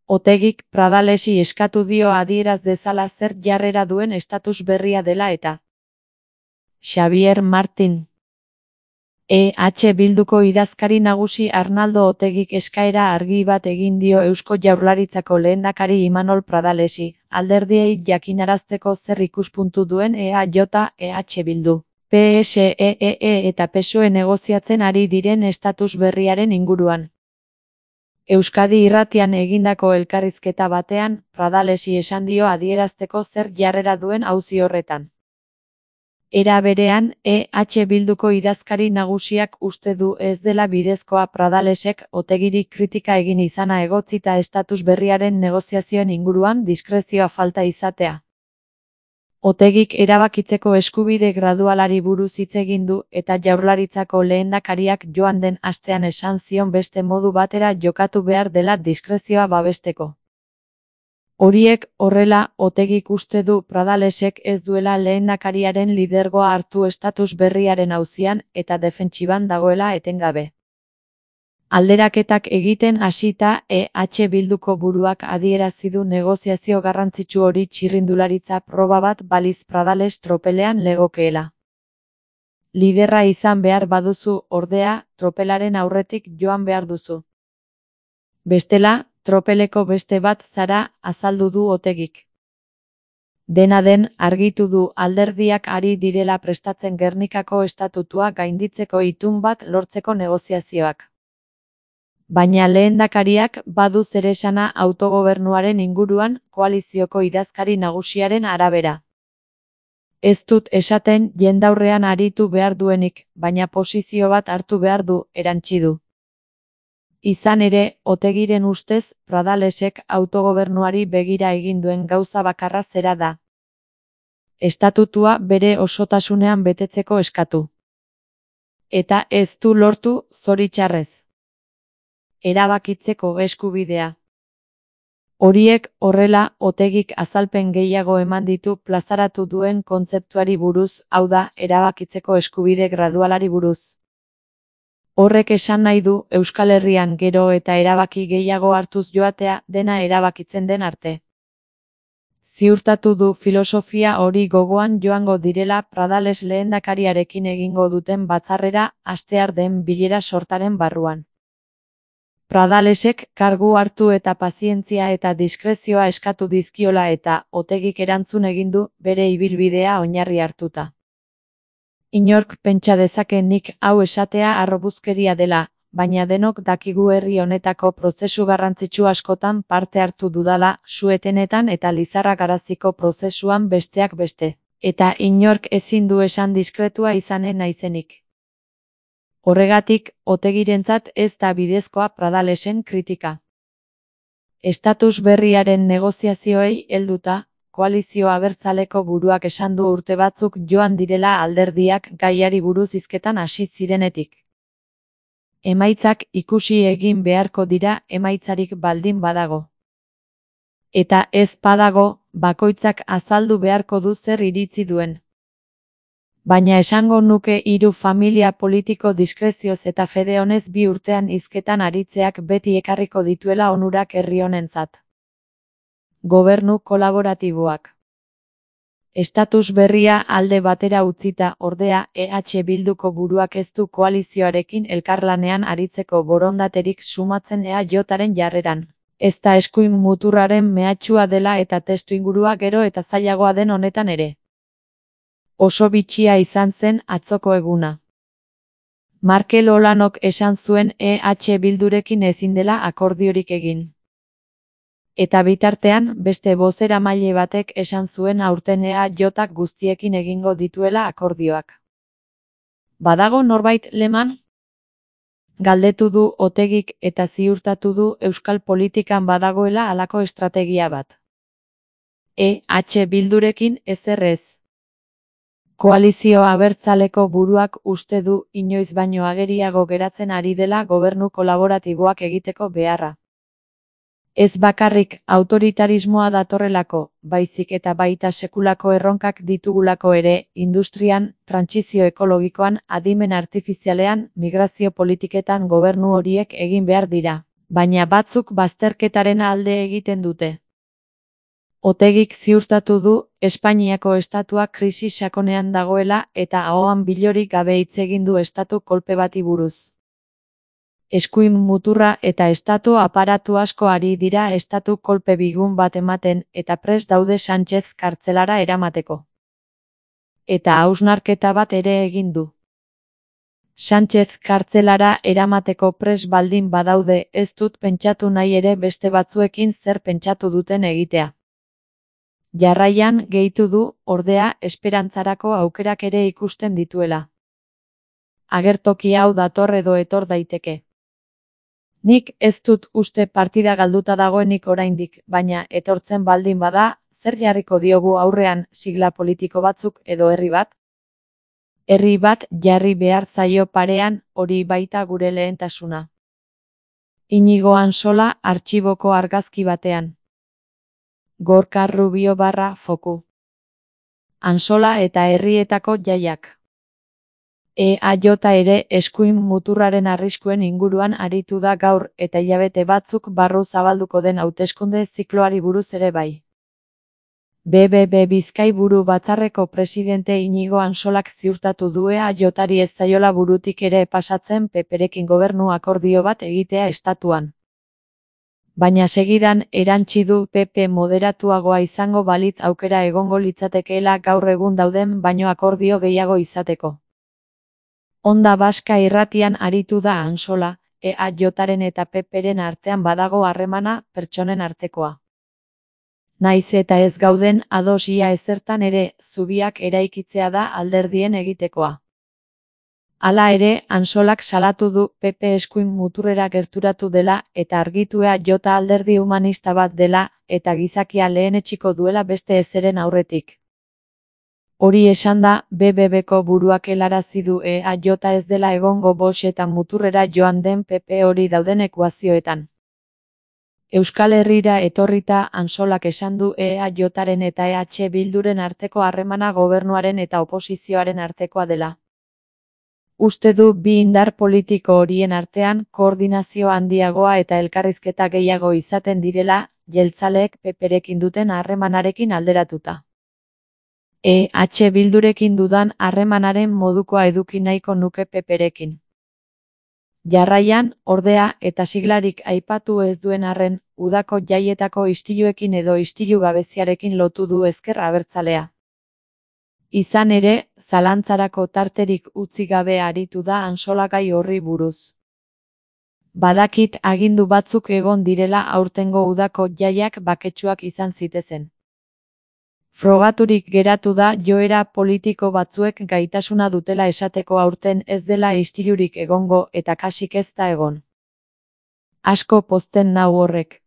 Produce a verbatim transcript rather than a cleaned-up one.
Otegik Pradalesi eskatu dio adieraz dezala zer jarrera duen estatus berria dela eta. Xabier Martin. E H Bilduko idazkari nagusi Arnaldo Otegik eskaera argi bat egin dio Eusko Jaurlaritzako lehendakari Imanol Pradalesi, alderdiei jakinarazteko zer ikuspuntu duen E A J, E H Bildu, P S E E eta P S O E negoziatzen ari diren estatus berriaren inguruan. Euskadi Irratian egindako elkarrizketa batean, Pradalesi esan dio adierazteko zer jarrera duen auzi horretan. Era berean, E H Bilduko idazkari nagusiak uste du ez dela bidezkoa Pradalesek Otegiri kritika egin izana egotzita estatus berriaren negoziazioen inguruan diskrezioa falta izatea. Otegik erabakitzeko eskubide gradualari buruz hitz egin du eta Jaurlaritzako lehendakariak joan den astean esan zion beste modu batera jokatu behar dela diskrezioa babesteko. Horiek horrela, Otegik uste du Pradalesek ez duela lehendakariaren lidergoa hartu estatus berriaren auzian eta defentsiban dagoela etengabe. Alderaketak egiten hasita E H Bilduko buruak adierazi du negoziazio garrantzitsu hori txirrindularitza proba bat baliz Pradales tropelean legokeela. Liderra izan behar baduzu, ordea, tropelaren aurretik joan behar duzu. Bestela, tropeleko beste bat zara, azaldu du Otegik. Dena den, argitu du alderdiak ari direla prestatzen Gernikako estatutua gainditzeko itun bat lortzeko negoziazioak. Baina lehendakariak badu zeresana autogobernuaren inguruan koalizioko idazkari nagusiaren arabera. Ez dut esaten jendaurrean aritu behar duenik, baina posizio bat hartu behar du, erantsi du. Izan ere, Otegiren ustez, Pradalesek autogobernuari begira egin duen gauza bakarra zera da. Estatutua bere osotasunean betetzeko eskatu. Eta ez du lortu, zoritxarrez. Erabakitzeko eskubidea. Horiek horrela, Otegik azalpen gehiago eman ditu plazaratu duen kontzeptuari buruz, hau da, erabakitzeko eskubide gradualari buruz. Horrek esan nahi du Euskal Herrian gero eta erabaki gehiago hartuz joatea dena erabakitzen den arte. Ziurtatu du filosofia hori gogoan joango direla Pradales lehendakariarekin egingo duten batzarrera astear den bilera sortaren barruan. Pradalesek kargu hartu eta pazientzia eta diskrezioa eskatu dizkiola eta Otegik erantzun egin du bere ibilbidea oinarri hartuta. Inork pentsa dezake nik hau esatea harrobuzkeria dela, baina denok dakigu herri honetako prozesu garrantzitsu askotan parte hartu dudala, suetenetan eta Lizarra Garaziko prozesuan besteak beste, eta inork ezin du esan diskretua izanen naizenik. Horregatik, Otegirentzat ez da bidezkoa Pradalesen kritika. Estatus berriaren negoziazioei helduta, koalizio abertzaleko buruak esan du urte batzuk joan direla alderdiak gaiari buruz hizketan hasi zirenetik. Emaitzak ikusi egin beharko dira emaitzarik baldin badago. Eta ez badago, bakoitzak azaldu beharko du zer iritzi duen. Baina esango nuke hiru familia politiko diskrezioz eta fede honez bi urtean hizketan aritzeak beti ekarriko dituela onurak herri honentzat. Gobernu kolaboratiboak. Estatus berria alde batera utzita, ordea, E H Bilduko buruak ez du koalizioarekin elkarlanean aritzeko borondaterik sumatzen E A Jaren jarreran. Ez da eskuin muturraren mehatxua dela eta testuingurua gero eta zailagoa den honetan ere. Oso bitxia izan zen atzoko eguna. Markel Olanok esan zuen E H Bildurekin ezin dela akordiorik egin. Eta bitartean, beste bozeramaile batek esan zuen aurten E A Jak guztiekin egingo dituela akordioak. Badago norbait leman? Galdetu du Otegik eta ziurtatu du euskal politikan badagoela halako estrategia bat. E H Bildurekin ezer ez. Koalizio abertzaleko buruak uste du inoiz baino ageriago geratzen ari dela gobernu kolaboratiboak egiteko beharra. Ez bakarrik autoritarismoa datorrelako, baizik eta baita sekulako erronkak ditugulako ere, industrian, trantsizio ekologikoan, adimen artifizialean, migrazio politiketan gobernu horiek egin behar dira. Baina batzuk bazterketaren alde egiten dute. Otegik ziurtatu du Espainiako estatua krisi sakonean dagoela eta ahoan bilorik gabe hitz egin du estatu kolpe bati buruz. Eskuin muturra eta estatu aparatu asko ari dira estatu kolpe bigun bat ematen eta prest daude Sánchez kartzelara eramateko. Eta hausnarketa bat ere egin du. Sánchez kartzelara eramateko prest baldin badaude ez dut pentsatu nahi ere beste batzuekin zer pentsatu duten egitea. Jarraian gehitu du, ordea, esperantzarako aukerak ere ikusten dituela. Agertoki hau dator edo etor daiteke. Nik ez dut uste partida galduta dagoenik oraindik, baina etortzen baldin bada, zer jarriko diogu aurrean sigla politiko batzuk edo herri bat? Herri bat jarri behar zaio parean, hori baita gure lehentasuna. Inigo Ansola artxiboko argazki batean. Gorka Rubio barra foku. Ansola eta herrietako jaiak. E A J ere eskuin muturraren arriskuen inguruan aritu da gaur eta hilabete batzuk barru zabalduko den hauteskunde zikloari buruz ere bai. B B B Bizkai buru batzarreko presidente Inigo Ansolak ziurtatu du E A Jari ez zaiola burutik ere pasatzen P Perekin gobernu akordio bat egitea estatuan. Baina segidan erantsi du P P moderatuagoa izango balitz aukera egongo litzatekeela gaur egun dauden baino akordio gehiago izateko. Onda Baska irratian aritu da Ansola, E A Jaren eta P Peren artean badago harremana pertsonen artekoa. Naiz eta ez gauden ados ia ezertan ere, zubiak eraikitzea da alderdien egitekoa. Hala ere, Ansolak salatu du P P eskuin muturrera gerturatu dela eta argitu E A J alderdi humanista bat dela eta gizakia lehenetsiko duela beste ezeren aurretik. Hori esanda, B B Bko buruak helarazi du E A J ez dela egongo Bosch eta muturrera joan den P P hori dauden ekuazioetan. Euskal Herrira etorrita Ansolak esan du E A Jaren eta E H Bilduren arteko harremana gobernuaren eta oposizioaren artekoa dela. Uste du bi indar politiko horien artean koordinazio handiagoa eta elkarrizketa gehiago izaten direla, jeltzaleek P Perekin duten harremanarekin alderatuta. E H Bildurekin dudan harremanaren modukoa eduki nahiko nuke P Perekin. Jarraian, ordea, eta siglarik aipatu ez duen arren, udako jaietako istiluekin edo istilu gabeziarekin lotu du ezker abertzalea. Izan ere, zalantzarako tarterik utzi gabe aritu da Ansola gai horri buruz. Badakit agindu batzuk egon direla aurtengo udako jaiak baketsuak izan zitezen. Frogaturik geratu da joera politiko batzuek gaitasuna dutela esateko aurten ez dela istilurik egongo eta kasik ez da egon. Asko pozten nau horrek.